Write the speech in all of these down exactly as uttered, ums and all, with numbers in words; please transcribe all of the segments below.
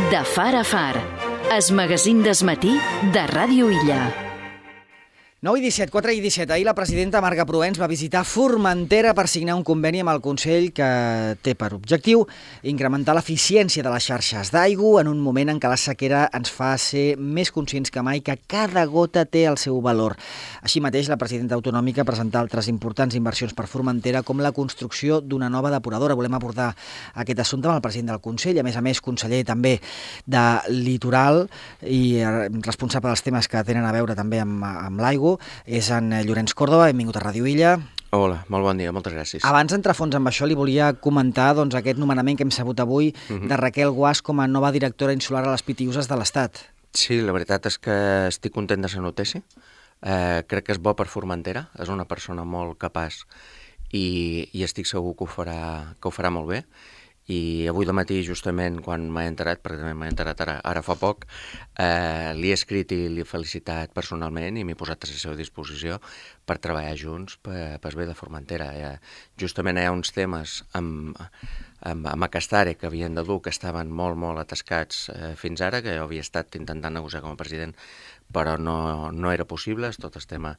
De far a far, es magazín d'esmatí de Ràdio Illa. nou i disset, quatre i disset. Ahir la presidenta Marga Proens va visitar Formentera per signar un conveni amb el Consell que té per objectiu incrementar l'eficiència de les xarxes d'aigua en un moment en què la sequera ens fa ser més conscients que mai que cada gota té el seu valor. Així mateix, la presidenta autonòmica presentà altres importants inversions per Formentera, com la construcció d'una nova depuradora. Volem abordar aquest assumpte amb el president del Consell, a més a més conseller també de Litoral i responsable dels temes que tenen a veure també amb, amb l'aigua. És en Llorenç Córdoba, benvingut a Ràdio Illa. Hola, molt bon dia, moltes gràcies. Abans d'entrar a fons amb això, li volia comentar doncs, aquest nomenament que hem sabut avui uh-huh. de Raquel Guasch com a nova directora insular a les Pitiüses de l'Estat. Sí, la veritat és que estic content de ser notícia. Eh, crec que és bo per Formentera, és una persona molt capaç i, i estic segur que ho farà, que ho farà molt bé. I avui de matí, justament, quan m'he enterat, perquè també m'he enterat ara, ara fa poc, eh, li he escrit i l'he felicitat personalment i m'he posat a la seva disposició per treballar junts per, per bé de Formentera. Eh, justament hi ha uns temes amb, amb, amb aquesta àrea que havien de dur, que estaven molt, molt atascats eh, fins ara, que jo havia estat intentant negociar com a president, però no, no era possible, és tot el tema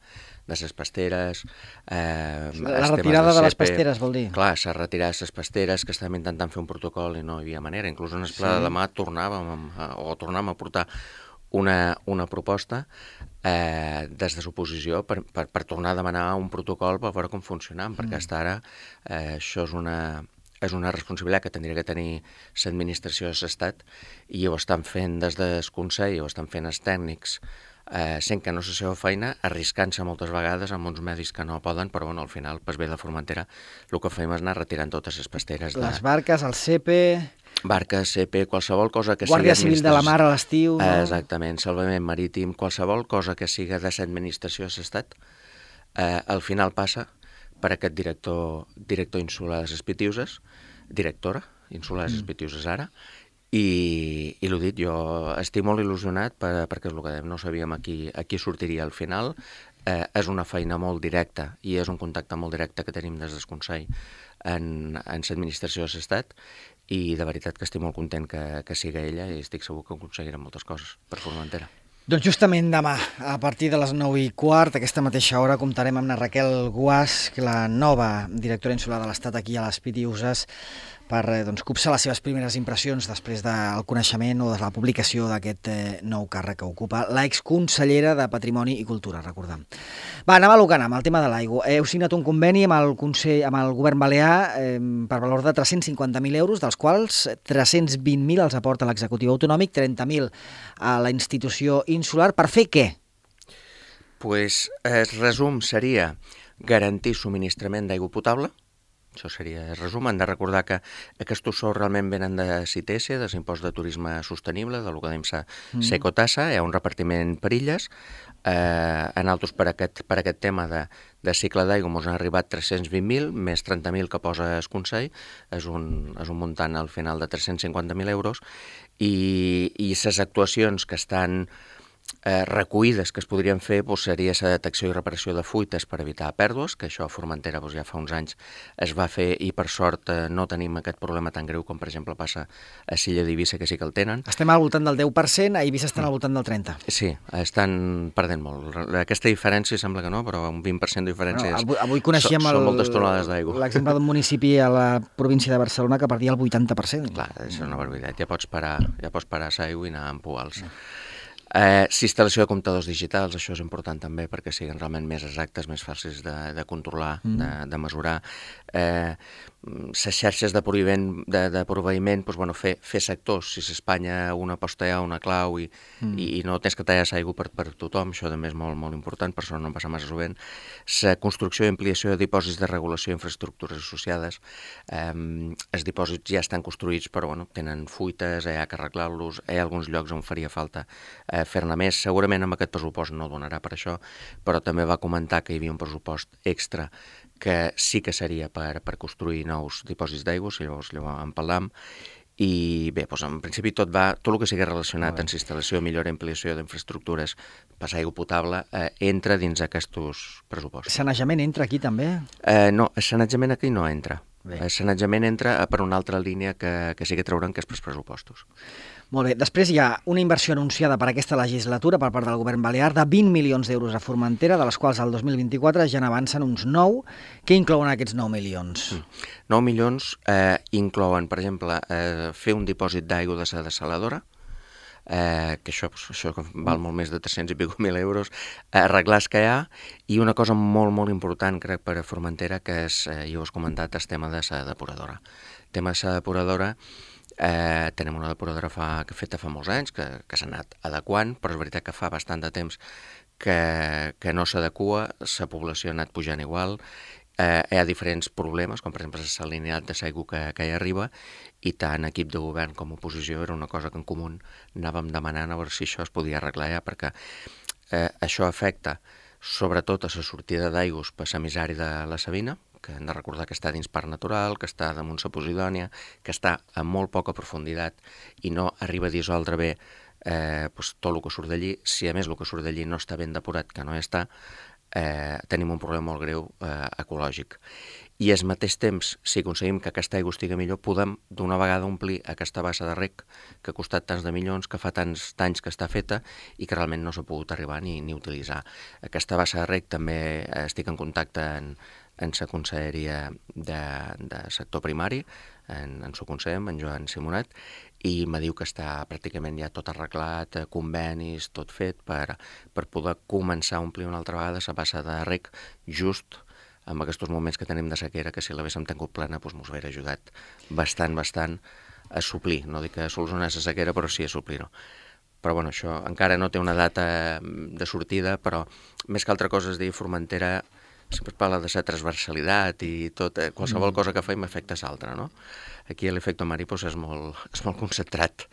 de les pasteres... Eh, la retirada de les pasteres, vol dir? Clar, s'ha retirat les pasteres, que estàvem intentant fer un protocol i no hi havia manera. Inclús en el pla sí. de demà tornàvem a, o tornàvem a portar una, una proposta eh, des de l'oposició per, per, per tornar a demanar un protocol per veure com funcionava, mm. perquè fins ara eh, això és una... és una responsabilitat que tindria que tenir l'administració de l'Estat i ho estan fent des del Consell, ho estan fent els tècnics, eh, sent que no és la seva feina, arriscant-se moltes vegades amb uns medis que no poden, però bueno, al final, per bé de Formentera, el que fem és anar retirant totes les pasteres. Les de... barques, el C P... Barques, C P, qualsevol cosa que Guàrdia sigui... Civil de la Mar a l'estiu... No? Exactament, salvament marítim, qualsevol cosa que siga de l'administració de l'Estat, eh, al final passa per aquest director, director insular de les Pitiüses, directora insular de les Pitiüses ara, i, i l'ho dit, jo estic molt il·lusionat per, perquè és el que dèiem, no sabíem a qui, a qui sortiria al final, eh, és una feina molt directa i és un contacte molt directe que tenim des del Consell en, en l'administració de l'Estat i de veritat que estic molt content que, que siga ella i estic segur que aconseguirem moltes coses per Formentera. Doncs justament demà, a partir de les nou i quart, aquesta mateixa hora, comptarem amb la Raquel Guasch, la nova directora insular de l'Estat aquí a les Pitiüses, per doncs, copsar les seves primeres impressions després del coneixement o de la publicació d'aquest eh, nou càrrec que ocupa l'exconsellera de Patrimoni i Cultura, recordem. Va, anem a lo que anem, el tema de l'aigua. Heu signat un conveni amb el Consell, amb el govern balear eh, per valor de tres-cents cinquanta mil euros, dels quals tres-cents vint mil els aporta l'executiu autonòmic, trenta mil a la institució insular. Per fer què? Pues, el resum seria garantir subministrament d'aigua potable. Això seria el resum. Hem de recordar que aquests sous realment venen de CITESE, de l'impost de turisme sostenible, del que dèiem mm. Secotassa, hi ha un repartiment per illes. Eh, en altres, per aquest, per aquest tema de, de cicle d'aigua, ens han arribat tres-cents vint mil, més trenta mil que posa el Consell, és un, és un muntant al final de tres-cents cinquanta mil euros, i, i les actuacions que estan Eh, recollides que es podrien fer doncs, seria la detecció i reparació de fuites per evitar pèrdues, que això a Formentera doncs, ja fa uns anys es va fer i per sort eh, no tenim aquest problema tan greu com per exemple passa a Silla d'Eivissa, que sí que el tenen. Estem al voltant del deu per cent, a Eivissa estan al voltant del trenta per cent. Sí, estan perdent molt. Aquesta diferència sembla que no, però un vint per cent de diferència no, avui, avui coneixíem so, són moltes tonelades d'aigua. L'exemple d'un municipi a la província de Barcelona que perdia el vuitanta per cent. Clar, és una barbaritat. Ja pots parar, ja pots parar l'aigua i anar amb poals. No. Eh, instal·lació de comptadors digitals, això és important també perquè siguin realment més exactes, més fàcils de, de controlar, mm. de, de mesurar. Eh, les xarxes de proveïment, de, de proveïment doncs, bueno, fer, fer sectors, si s'Espanya una posta hi ha una clau i, mm. i, i no tens que tallar l'aigua per, per tothom, això també és molt, molt important, per això no em passa massa sovint. La construcció i ampliació de dipòsits de regulació i infraestructures associades, eh, els dipòsits ja estan construïts però bueno, tenen fuites, hi ha que arreglar-los, hi ha alguns llocs on faria falta eh, fer-ne més, segurament amb aquest pressupost no donarà per això, però també va comentar que hi havia un pressupost extra que sí que seria per, per construir nous dipòsits d'aigua, si llavors llavors en parlam, i bé, doncs en principi tot va, tot el que sigui relacionat amb instal·lació, millora i ampliació d'infraestructures, passar aigua potable, eh, entra dins aquests pressupostos. Sanejament entra aquí també? Eh, no, el sanejament aquí no entra. El sanejament entra per una altra línia que, que sí que trauran, que és pels pressupostos. Molt bé. Després hi ha una inversió anunciada per aquesta legislatura per part del govern balear de vint milions d'euros a Formentera, de les quals el dos mil vint-i-quatre ja n'avancen uns nou. Què inclouen aquests nou milions? Mm. nou milions eh, inclouen, per exemple, eh, fer un dipòsit d'aigua de la dessaladora, eh, que això, això val molt més de tres-cents i pico mil euros, arreglar el que hi ha, i una cosa molt, molt important, crec, per a Formentera, que és, eh, ja ho has comentat, el tema de la depuradora. El tema de la depuradora, eh, tenim una depuradora fa, que feta fa molts anys, que, que s'ha anat adequant, però és veritat que fa bastant de temps que, que no s'adequa, la població ha anat pujant igual, eh, hi ha diferents problemes, com per exemple la salinitat de l'aigua que, que hi arriba, i tant equip de govern com oposició era una cosa que en comú anàvem demanant a veure si això es podia arreglar ja, perquè eh, això afecta sobretot a la sortida d'aigües per l'emissari de la Sabina, que hem de recordar que està dins parc natural, que està damunt la Posidònia, que està a molt poca profunditat i no arriba a dissoldre bé eh, pues, tot el que surt d'allí. Si a més el que surt d'allí no està ben depurat, que no hi està, eh, tenim un problema molt greu eh, ecològic. I al mateix temps, si aconseguim que aquesta aigua estigui millor, podem d'una vegada omplir aquesta bassa de rec que ha costat tants de milions, que fa tants anys que està feta i que realment no s'ha pogut arribar ni, ni utilitzar. Aquesta bassa de rec també eh, estic en contacte en, en la conselleria de, de sector primari, en, en su conseller, en Joan Simonet, i me diu que està pràcticament ja tot arreglat, convenis, tot fet, per, per poder començar a omplir una altra vegada la bassa de rec just en aquests moments que tenim de sequera, que si l'haguéssim tingut plena doncs mos hauria ajudat bastant, bastant a suplir. No dic a solucionar la sequera, però sí a suplir-ho. Però bueno, això encara no té una data de sortida, però més que altra cosa es diu Formentera, sempre es parla de la transversalitat i tot, eh, qualsevol mm. cosa que fem afecta a l'altra, no? Aquí l'efecte mariposa és molt, és molt concentrat.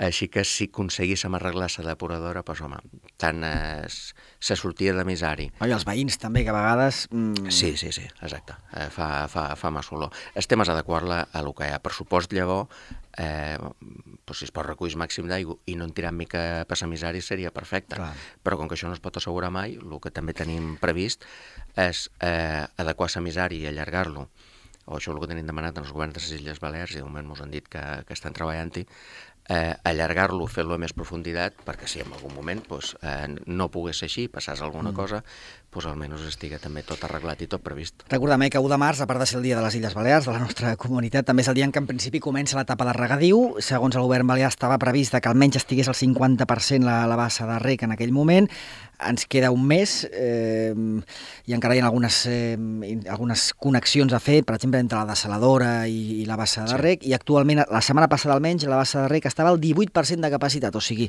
Així que si aconseguíssim arreglar la depuradora, doncs home, tant la sortida d'emissari... I els veïns també, que a vegades... Mm... Sí, sí, sí, exacte. Eh, fa, fa, fa massa olor. El tema és adequar-la a el que hi ha. Pressupost, llavors, eh, doncs si es pot recollir el màxim d'aigua i no en tirar mica per l'emissari seria perfecte. Clar. Però com que això no es pot assegurar mai, el que també tenim previst és eh, adequar l'emissari i allargar-lo, o això és el que tenim demanat als governs de les Illes Balears, i de moment ens han dit que, que estan treballant-hi, eh, allargar-lo, fer-lo a més profunditat, perquè si en algun moment pues, eh, no pogués ser així, passàs alguna mm. cosa, pues, almenys estigui també tot arreglat i tot previst. Recordem que u de març, a part de ser el dia de les Illes Balears, de la nostra comunitat, també és el dia en què en principi comença l'etapa de regadiu. Segons el govern balear estava previst que almenys estigués al cinquanta per cent la, la bassa de rec en aquell moment. Ens queda un mes eh, i encara hi ha algunes, eh, algunes connexions a fer, per exemple, entre la dessaladora i, i la bassa de rec, sí. I actualment, la setmana passada almenys, la bassa de rec estava al divuit per cent de capacitat, o sigui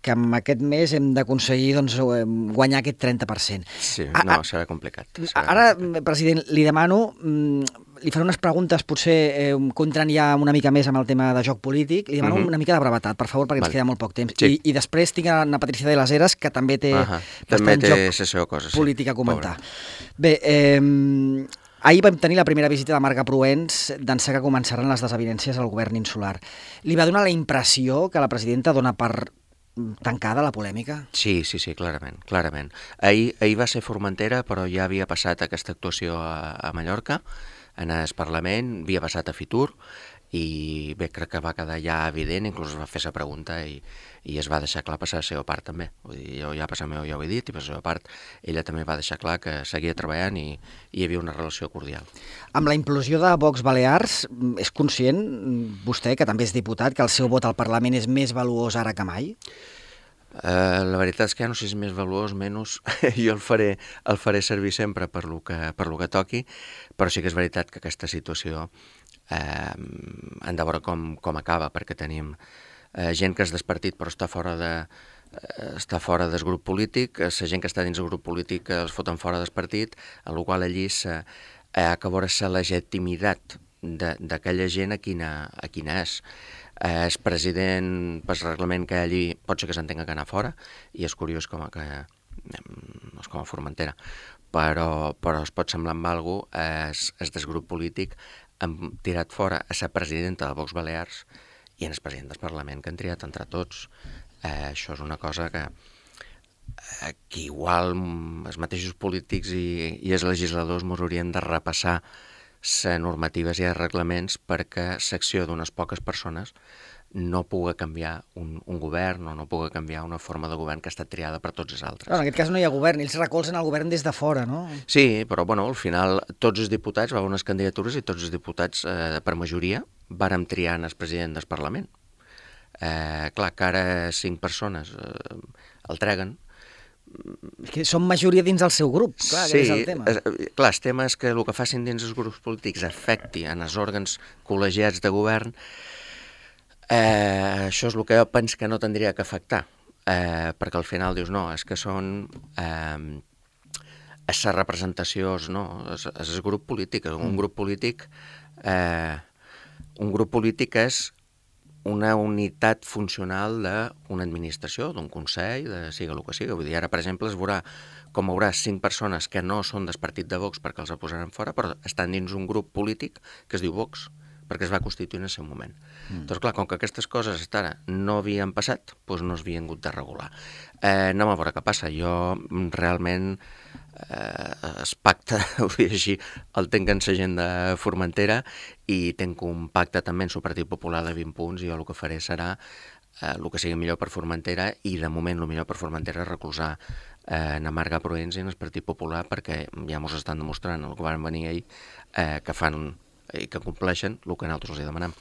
que en aquest mes hem d'aconseguir doncs, guanyar aquest trenta per cent. Sí, no, serà complicat. Serà ara, complicat. President, li demano, li faré unes preguntes potser eh, que entren ja una mica més amb el tema de joc polític, li demano mm-hmm. una mica de brevetat, per favor, perquè vale. Ens queda molt poc temps. Sí. I, I després tinc a Patricia de las Heras, que també té uh-huh. també té joc cosa, sí. polític a comentar. Pobre. Bé, eh, ahir vam tenir la primera visita de Marga Proens d'ençà que començaran les desavinences al govern insular. Li va donar la impressió que la presidenta dona per tancada la polèmica? Sí, sí, sí, clarament, clarament. Ahir, ahir va ser Formentera, però ja havia passat aquesta actuació a, a Mallorca, en el Parlament, havia passat a Fitur, i bé, crec que va quedar ja evident, inclús es va fer la pregunta i, i es va deixar clar per la seva part també. Vull dir, jo ja per la meva ja ho he dit, i per la seva part ella també va deixar clar que seguia treballant i, i hi havia una relació cordial. Amb la implosió de Vox Balears, és conscient vostè, que també és diputat, que el seu vot al Parlament és més valuós ara que mai? Uh, la veritat és que ja no sé si és més valuós, menys, jo el faré, el faré servir sempre per lo que, per lo que toqui, però sí que és veritat que aquesta situació eh, hem de veure com, com acaba, perquè tenim eh, gent que és del partit però està fora de, eh, està fora del grup polític, la gent que està dins del grup polític els foten fora del partit, en la qual allí s'ha eh, que veure la legitimitat d'aquella gent a quina, a quina és. Eh, el president, pel reglament que hi ha allí, pot ser que s'entenga que anar fora, i és curiós com a, que, és com a Formentera, però, però es pot semblar amb alguna cosa, és, és del grup polític, han tirat fora a la presidenta de Vox Balears i en el president del Parlament, que han triat entre tots. Eh, això és una cosa que, eh, que igual els mateixos polítics i, i els legisladors ens haurien de repassar les normatives i els reglaments perquè l'acció d'unes poques persones no pugui canviar un, un govern o no pugui canviar una forma de govern que ha estat triada per tots els altres. Clar, en aquest cas no hi ha govern, ells recolzen el govern des de fora, no? Sí, però bueno, al final tots els diputats, va haver unes candidatures i tots els diputats, eh, per majoria, vàrem triar el president del Parlament. Eh, clar, que ara cinc persones eh, el treguen. Que són majoria dins del seu grup, clar, sí, que és el tema. Eh, clar, el tema és que el que facin dins els grups polítics afecti en els òrgans col·legiats de govern. Eh, això és el que jo penso que no tindria que afectar, eh, perquè al final dius, no, és que són eh, les representacions, no, és, és el grup polític, un grup polític eh, un grup polític és una unitat funcional d'una administració, d'un consell, de siga el que siga. Vull dir, ara, per exemple, es veurà com hi haurà cinc persones que no són del partit de Vox perquè els el posaran fora, però estan dins un grup polític que es diu Vox, perquè es va constituir en el seu moment. Mm. Doncs clar, com que aquestes coses fins ara no havien passat, doncs no s'havien hagut de regular. Eh, anem a veure què passa. Jo realment eh, es pacte, ho dic així, el tenc en l'agenda Formentera i tenc un pacte també en el Partit Popular de vint punts i jo el que faré serà eh, el que sigui millor per Formentera i de moment el millor per Formentera és recolzar eh, en Marga Proens i en el Partit Popular perquè ja mos estan demostrant el que van venir ahir eh, que fan i que compleixen el que nosaltres els demanem.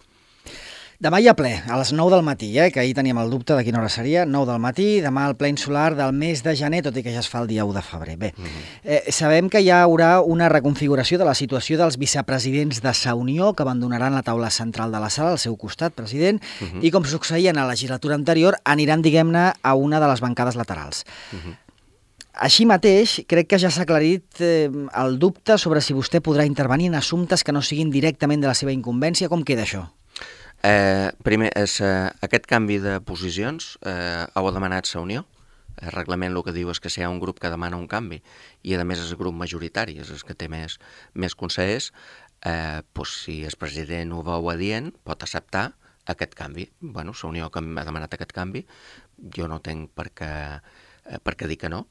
Demà hi ha ple, a les nou del matí, eh, que ahir teníem el dubte de quina hora seria, nou del matí, demà el ple insular del mes de gener, tot i que ja es fa el dia u de febrer. Bé, mm-hmm. eh, sabem que hi haurà una reconfiguració de la situació dels vicepresidents de Sa Unió, que abandonaran la taula central de la sala, al seu costat, president, mm-hmm. i com succeïa en la legislatura anterior, aniran, diguem-ne, a una de les bancades laterals. Mm-hmm. Així mateix, crec que ja s'ha aclarit eh, el dubte sobre si vostè podrà intervenir en assumptes que no siguin directament de la seva incumbència. Com queda això? Eh, primer, és, eh, aquest canvi de posicions eh, ho ha demanat Sa Unió. El reglament el que diu és que si hi ha un grup que demana un canvi i a més és el grup majoritari, és el que té més, més consellers, eh, doncs, si el president ho veu adient, pot acceptar aquest canvi. Bueno, Sa Unió que ha demanat aquest canvi, jo no tenc per què, eh, per què dir que no.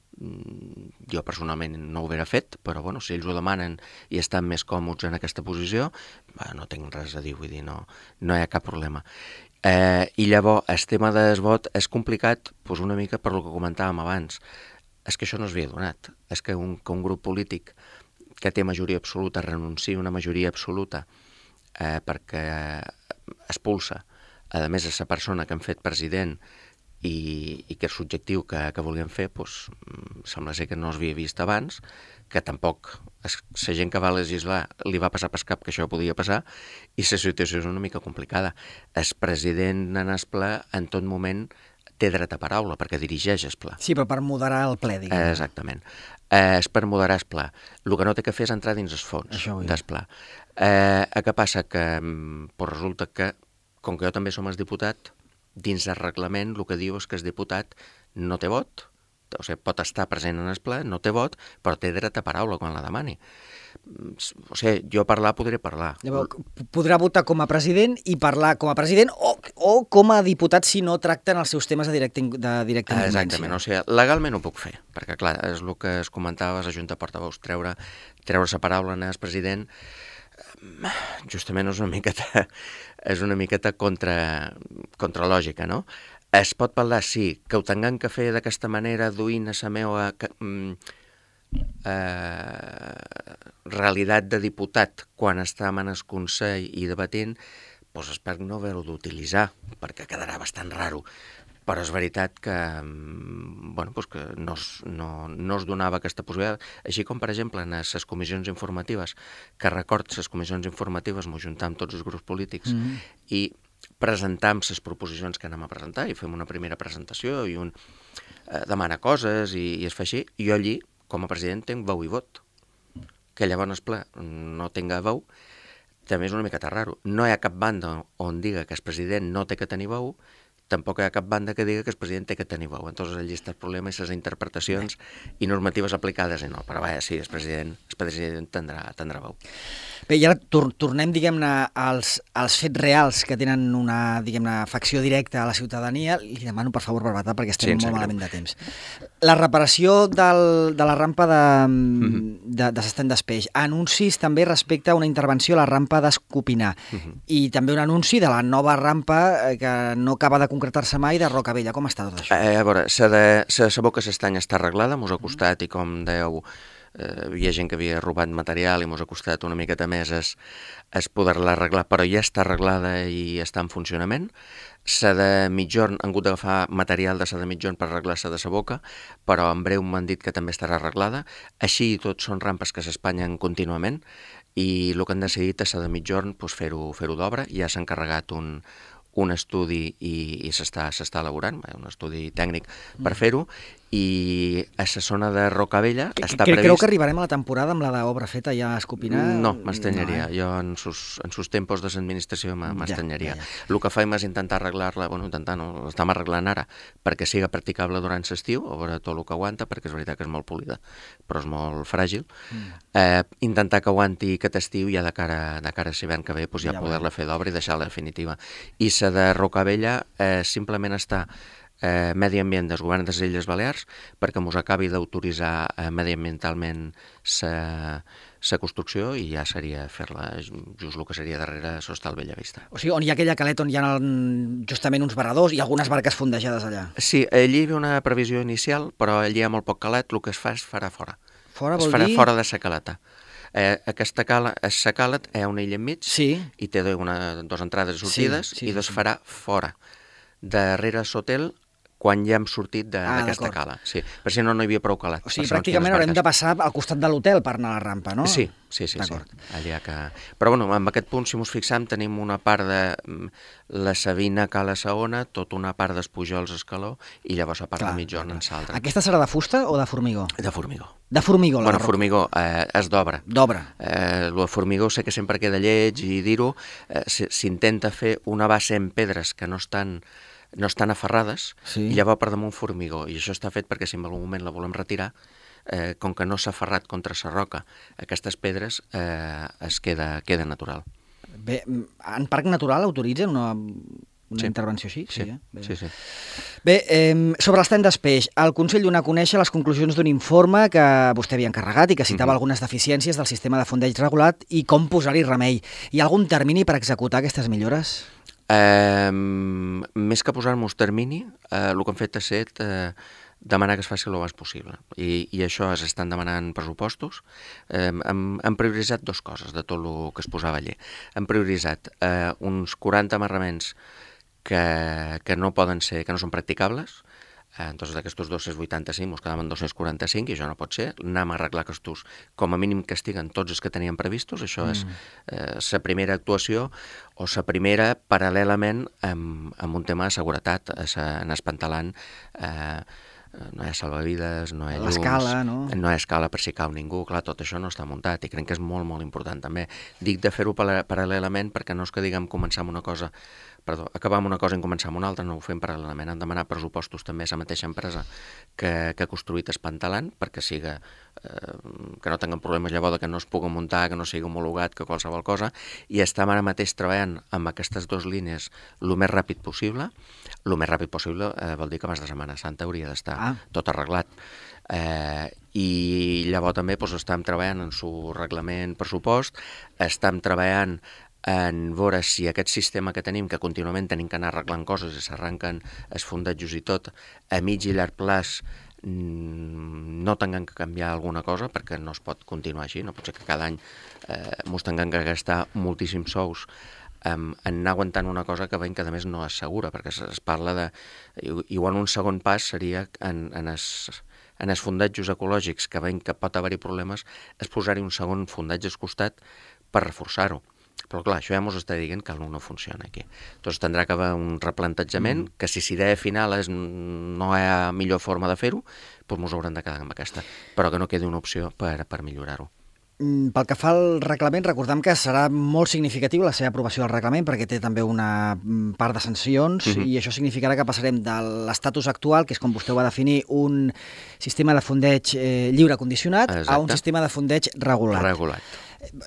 Jo personalment no ho hauria fet, però bueno, si ells ho demanen i estan més còmodes en aquesta posició, bah, no tinc res a dir, vull dir, no, no hi ha cap problema. Eh, I llavors, el tema del vot és complicat doncs una mica per lo que comentàvem abans. És que això no s'havia donat. És que un, que un grup polític que té majoria absoluta renuncia a una majoria absoluta eh, perquè expulsa, a més, a la persona que han fet president i, i que és l'objectiu que, que volien fer, doncs, sembla ser que no s'havia vist abans, que tampoc la gent que va legislar li va passar per cap que això podia passar, i la situació és una mica complicada. El president en el ple en tot moment té dret a paraula, perquè dirigeix el ple. Sí, però per moderar el ple, diguem. Eh, exactament. Eh, és per moderar el ple. El que no té que fer és entrar dins els fons del ple. Eh, què passa? Que pues, resulta que, com que jo també som el diputat, dins del reglament el que diu és que el diputat no té vot, o sigui, pot estar present en el ple, no té vot, però té dret a paraula quan la demani. O sigui, jo parlar podré parlar. Llavors, podrà votar com a president i parlar com a president o, o com a diputat si no tracten els seus temes de directa, de directa incumbència. Exactament, o sigui, legalment ho puc fer, perquè clar, és el que es comentava a la Junta de Portaveus, treure, treure la paraula en el president, justament és una miqueta, és una miqueta contra, contra lògica, no? Es pot parlar, sí, que ho tinguem que fer d'aquesta manera, duint a la meva eh, realitat de diputat quan estàvem en el Consell i debatent, doncs espero no haver-ho d'utilitzar, perquè quedarà bastant raro. Però és veritat que, bueno, doncs que no, es, no, no es donava aquesta possibilitat. Així com, per exemple, en les comissions informatives, que record, les comissions informatives m'ho juntàvem tots els grups polítics mm-hmm. i presentam les proposicions que anem a presentar i fem una primera presentació i un eh, demana coses i, i es fa així. Jo allí, com a president, tinc veu i vot. Que llavors, ple, no tinga veu, també és una miqueta raro. No hi ha cap banda on diga que el president no té que tenir veu, tampoc hi ha cap banda que digui que el president té que tenir veu. Entonces allí està el problema i les interpretacions i normatives aplicades i no, però vaja, sí, el president, el president tindrà, tindrà veu. Bé, i ara tor tornem, diguem-ne, als, als fets reals que tenen una, diguem-ne, afecció directa a la ciutadania. Li demano, per favor, brevetat, perquè estem Sí, molt malament de temps. La reparació del, de la rampa de, Mm-hmm. de, de s'estén d'Espeix. Anuncis també respecte a una intervenció a la rampa d'Escopinar. Mm-hmm. I també un anunci de la nova rampa que no acaba de concretar-se mai de Rocavella. Com està tot això? Eh, a veure, la de la sabó que s'estany està arreglada, mos ha costat, i com dèieu, eh, hi ha gent que havia robat material i mos ha costat una miqueta més es, es poder-la arreglar, però ja està arreglada i està en funcionament. La de mitjorn, han hagut d'agafar material de la de mitjorn per arreglar la de la boca, però en breu m'han dit que també estarà arreglada. Així i tot són rampes que s'espanyen contínuament i el que han decidit és la de mitjorn pues, fer-ho fer-ho d'obra. Ja s'ha encarregat un, un estudi i, i s'està elaborant, un estudi tècnic per fer-ho, i a la zona de Rocavella Que, està que, previst... Creu que arribarem a la temporada amb la d'obra feta ja a Escopinar? No, m'estranyaria. No, eh? Jo en sus, en sus tempos de l'administració m'estranyaria. Ja, ja, ja. El que faim és intentar arreglar-la, bueno, intentar no, l'estem arreglant ara, perquè siga practicable durant l'estiu, a veure tot el que aguanta, perquè és veritat que és molt polida, però és molt fràgil. Mm. Eh, intentar que aguanti aquest estiu i ja de cara, de cara a l'hivern que ve pues, ja, ja poder-la fer d'obra i deixar-la definitiva. I la de Rocavella eh, simplement està Eh, Medi Ambient del Govern de les Illes Balears perquè mos acabi d'autoritzar eh, mediambientalment la construcció i ja seria fer-la just el que seria darrere l'Hostal Bellavista. O sigui, on hi ha aquella caleta on hi ha el, justament uns varadors i algunes barques fondejades allà. Sí, allí hi havia una previsió inicial, però allí hi ha molt poc calet, el que es fa es farà fora. Fora es vol farà dir... fora de la caleta. Eh, aquesta cala, la calet hi ha una illa enmig Sí. i té una, dos entrades i sortides Sí, sí, i dos sí. farà fora. Darrere l'hotel, quan ja hem sortit d'aquesta Ah, cala. Sí, per si no, no hi havia prou calat. O sigui, per segons pràcticament quines haurem barques. de passar al costat de l'hotel per anar a la rampa, no? Sí, sí, sí. sí. D'acord. Allà que... Però bueno, en aquest punt, si ens fixam, tenim una part de mm, la Sabina Cala Saona, tota una part dels Pujols Escaló, i llavors la part Clar, de mitjorn en l'altra. Aquesta serà de fusta o de formigó? De formigó. De formigó, la Bueno, roca. formigó, eh, és d'obra. D'obra. Eh, el de formigó sé que sempre queda lleig i dir-ho, eh, s'intenta fer una base en pedres que no estan no estan aferrades, Sí. i llavors per damunt formigó, i això està fet perquè si en algun moment la volem retirar, eh, com que no s'ha aferrat contra la roca, aquestes pedres eh, es queda, queda natural. Bé, en Parc Natural autoritzen una, una Sí. intervenció així? Sí, eh? Bé. sí, sí. Bé, eh, sobre l'estany d'Espeix, el Consell dona a conèixer les conclusions d'un informe que vostè havia encarregat i que citava Mhm. algunes deficiències del sistema de fondeig regulat i com posar-hi remei. Hi ha algun termini per executar aquestes millores? Eh, més que posar-nos termini, eh, el que hem fet ha estat eh, demanar que es faci el més possible. I, i això es estan demanant pressupostos. Eh, hem, hem prioritzat dues coses de tot el que es posava allà. Hem prioritzat eh, uns quaranta amarraments que, que no poden ser, que no són practicables. Eh, entonces d'aquestos dos-cents vuitanta-cinc ens quedaven dos-cents quaranta-cinc i això no pot ser. Anem a arreglar aquests, com a mínim que estiguen tots els que teníem previstos. Això és eh, la primera actuació o la primera paral·lelament amb, amb un tema de seguretat. A sa, en Espantalant eh, no hi ha salvavides, no hi ha llums, L'escala, no? no hi ha escala per si cau ningú, clar, tot això no està muntat i crec que és molt, molt important també. Dic de fer-ho paral·lelament perquè no és que diguem començar amb una cosa Perdó, acabar amb una cosa i començar amb una altra, no ho fem paral·lelament. Han demanat pressupostos també a la mateixa empresa que, que ha construït Espantalant perquè siga, eh, que no tinguin problemes llavors que no es pugui muntar, que no sigui homologat, que qualsevol cosa, i estem ara mateix treballant amb aquestes dues línies el més ràpid possible. El més ràpid possible eh, vol dir que abans de Setmana Santa hauria d'estar Ah. tot arreglat. Eh, i llavors també doncs, estem treballant en su reglament pressupost, estem treballant en veure si aquest sistema que tenim, que contínuament tenim que anar arreglant coses i s'arranquen els fondatjos i tot, a mig i llarg plaç no tinguem que canviar alguna cosa perquè no es pot continuar així, no pot ser que cada any eh, ens tinguem que gastar moltíssims sous en anar aguantant una cosa que veiem que a més no és segura, perquè es, es parla de... Igual un segon pas seria en, en els en els fondatjos ecològics que veiem que pot haver-hi problemes, és posar-hi un segon fondatge al costat per reforçar-ho. Però clar, això ja ens està dient que no funciona aquí. Doncs tindrà que haver un replantejament, mm. que si l'idea final és no hi ha millor forma de fer-ho, doncs ens haurem de quedar amb aquesta, però que no quedi una opció per, per millorar-ho. pel que fa al reglament, recordem que serà molt significatiu la seva aprovació del reglament perquè té també una part de sancions uh-huh. i això significarà que passarem de l'estatus actual, que és com vostè ho va definir, un sistema de fondeig eh, lliure condicionat, Exacte. a un sistema de fondeig regulat. Regulat.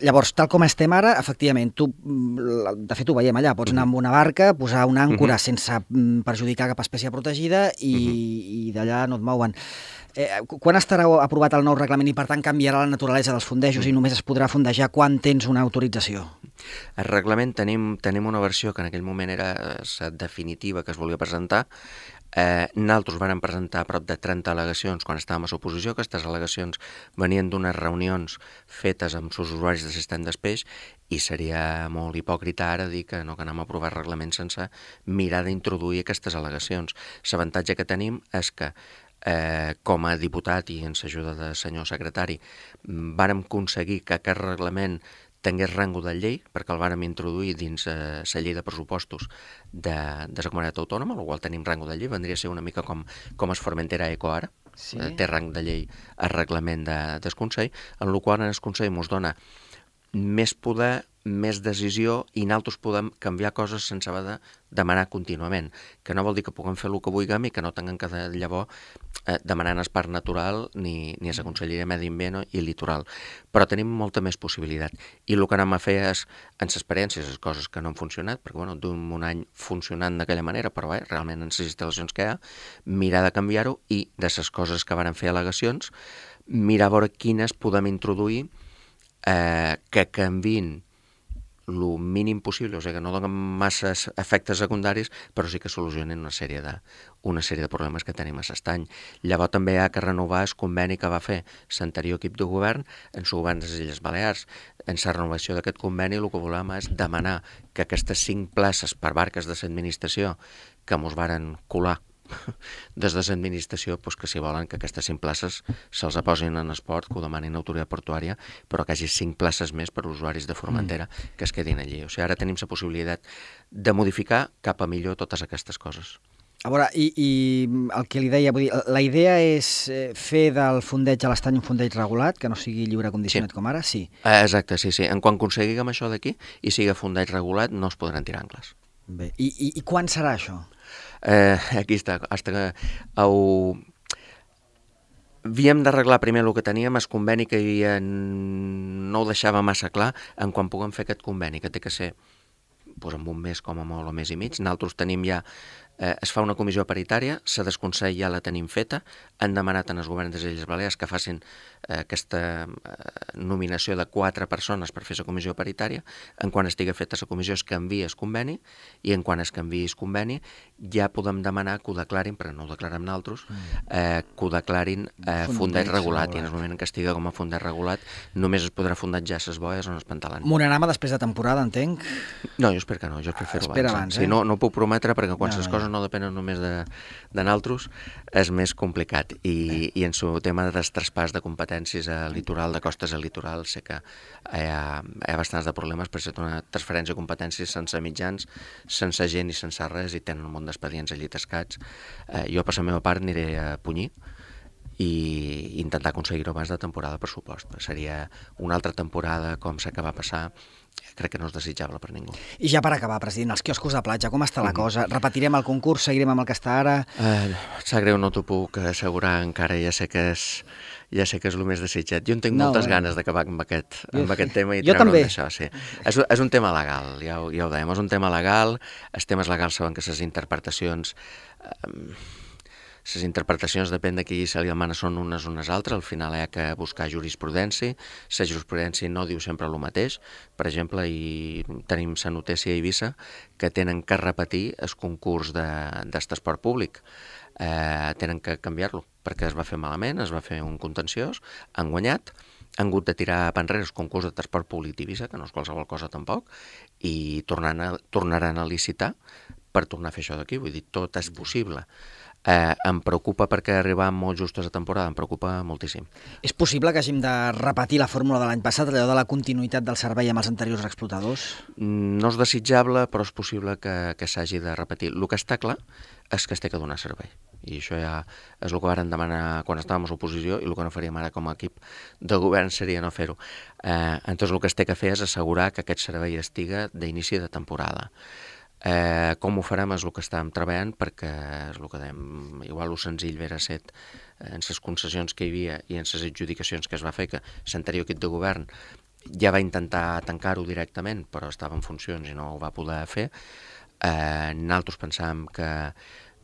Llavors, tal com estem ara, efectivament, tu, de fet ho veiem allà, pots anar amb una barca, posar una àncora uh-huh. sense perjudicar cap espècie protegida i, uh-huh. i d'allà no et mouen. Eh, quan estarà aprovat el nou reglament i, per tant, canviarà la naturalesa dels fondejos uh-huh. i només es podrà fondejar quan tens una autorització? El reglament tenim, tenim una versió que en aquell moment era la definitiva que es volia presentar. Eh, nosaltres vàrem presentar prop de trenta al·legacions quan estàvem a l'oposició. Aquestes al·legacions venien d'unes reunions fetes amb els usuaris de sistema d'espeix i seria molt hipòcrita ara dir que no que anem a aprovar el reglament sense mirar d'introduir aquestes al·legacions. L'avantatge que tenim és que eh, com a diputat i en l'ajuda del senyor secretari vàrem aconseguir que aquest reglament tingués rango de llei, perquè el vàrem introduir dins eh, la llei de pressupostos de, de la comunitat autònoma, el qual tenim rango de llei, vendria a ser una mica com, com es Formentera Eco ara, sí. eh, té rang de llei el reglament de, del Consell, en el qual en el Consell ens dona més poder, més decisió i nosaltres podem canviar coses sense haver de demanar contínuament, que no vol dir que puguem fer el que vulguem i que no tinguem que llavors eh, demanar en el parc natural ni, ni a la Conselleria de Medi Ambient i Litoral. Però tenim molta més possibilitat. I el que anem a fer és, en l'experiència, les coses que no han funcionat, perquè bueno, duim un any funcionant d'aquella manera, però bé, realment en les instal·lacions que hi ha, mirar de canviar-ho i de les coses que varen fer al·legacions, mirar a veure quines podem introduir eh, que canviïn el mínim possible, o sigui que no donen massa efectes secundaris, però sí que solucionen una sèrie de, una sèrie de problemes que tenim a l'estany. Llavors també hi ha que renovar el conveni que va fer l'anterior equip de govern en el govern de les Illes Balears. En la renovació d'aquest conveni el que volem és demanar que aquestes cinc places per barques de l'administració que mos varen colar des de l'administració, doncs que si volen que aquestes cinc places se'ls posin en esport, que ho demanin l'autoritat portuària, però que hi hagi cinc places més per usuaris de Formentera mm. que es quedin allí. O sigui, ara tenim la possibilitat de modificar cap a millor totes aquestes coses. A veure, i, i el que li deia, vull dir, la idea és fer del fondeig a l'estany un fondeig regulat, que no sigui lliure condicionat sí. com ara? Sí. Exacte, sí, sí. En quan aconseguim això d'aquí i sigui fondeig regulat, no es podran tirar angles. Bé, i, i, i quan serà això? Eh, aquí està, hasta que ho... havíem d'arreglar primer el que teníem, el conveni que hi havia no ho deixava massa clar en quan puguem fer aquest conveni, que té que ser doncs, en un mes com a molt o mes i mig. Nosaltres tenim ja, eh, es fa una comissió paritària, la del Consell ja la tenim feta, han demanat en els governs de les Illes Balears que facin eh, aquesta eh, nominació de quatre persones per fer la comissió paritària. En quan estigui feta la comissió es canvia el conveni i en quan es canvia el conveni ja podem demanar que ho declarin, perquè no ho declarem nosaltres, eh, que ho declarin eh, fondeig regulat, i en el moment en què estigui com a fondeig regulat només es podrà fondejar les boies on es pantalan. Monarama després de temporada, entenc? No, jo espero que no, jo espero fer-ho abans. abans. Eh? Sí, no, no ho puc prometre perquè quan no, les no, coses no depenen només de, de nosaltres és més complicat. I, i en el tema del traspàs de competències a litoral, de costes a litoral, sé que hi ha, hi ha bastants de problemes per ser una transferència de competències sense mitjans, sense gent i sense res, i tenen un munt d'expedients allí tascats. Eh, jo, per la meva part, aniré a Punyir i intentar aconseguir-ho abans de temporada, per supost. Seria una altra temporada com la que va passar, crec que no és desitjable per ningú. I ja per acabar, president, els quioscos de platja, com està la mm. cosa? Repetirem el concurs, seguirem amb el que està ara? Eh, sap greu, no t'ho puc assegurar encara, ja sé que és, ja sé que és el més desitjat. Jo en tinc no, moltes eh? ganes d'acabar amb, aquest, amb jo, aquest tema i treure'm d'això. Sí. És, és un tema legal, ja ho, ja ho dèiem, és un tema legal, els temes legals saben que les interpretacions... Eh, Les interpretacions, depèn de qui se li demana, són unes o unes altres. Al final hi ha que buscar jurisprudència. La jurisprudència no diu sempre el mateix. Per exemple, i tenim la notícia a Eivissa que tenen que repetir el concurs d'esport públic. Eh, tenen que canviar-lo, perquè es va fer malament, es va fer un contenciós, han guanyat, han hagut de tirar a enrere el concurs de transport públic d'Eivissa, que no és qualsevol cosa tampoc, i tornaran a, tornaran a licitar per tornar a fer això d'aquí, vull dir, tot és possible. Eh, em preocupa perquè arribar molt justos a temporada, em preocupa moltíssim. És possible que hàgim de repetir la fórmula de l'any passat, allò de la continuïtat del servei amb els anteriors explotadors? No és desitjable, però és possible que, que s'hagi de repetir. El que està clar és que es té que donar servei. I això ja és el que varen demanar quan estàvem a l'oposició i el que no faríem ara com a equip de govern seria no fer-ho. Eh, entonces el que es té que fer és assegurar que aquest servei estiga d'inici de temporada. Eh, com ho farem és el que estàvem treballant, perquè és el que dèiem, igual el senzill vera set en les concessions que hi havia i en les adjudicacions que es va fer, que l'anterior equip de govern ja va intentar tancar-ho directament, però estava en funcions i no ho va poder fer. Eh, nosaltres pensàvem que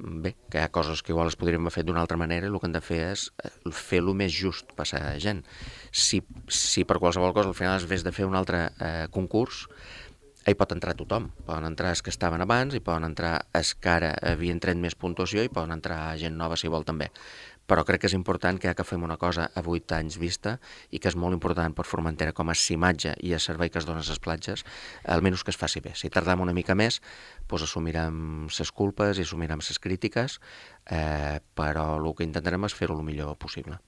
bé, que hi ha coses que igual es podrien haver fet d'una altra manera i el que hem de fer és fer-lo més just per la gent. Si, si per qualsevol cosa al final es vés de fer un altre eh, concurs, hi pot entrar tothom. Poden entrar els que estaven abans, i poden entrar els que ara havien tret més puntuació i poden entrar gent nova si vol també. Però crec que és important que ja que fem una cosa a vuit anys vista i que és molt important per Formentera com a imatge i a servei que es dona a les platges, almenys que es faci bé. Si tardem una mica més, doncs assumirem les culpes i assumirem les crítiques, eh, però el que intentarem és fer-ho el millor possible.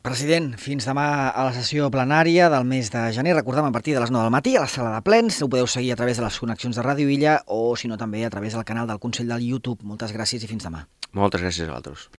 President, fins demà a la sessió plenària del mes de gener. Recordem, a partir de les nou del matí a la sala de plens. Ho podeu seguir a través de les connexions de Ràdio Illa o, si no, també a través del canal del Consell del YouTube. Moltes gràcies i fins demà. Moltes gràcies a vosaltres.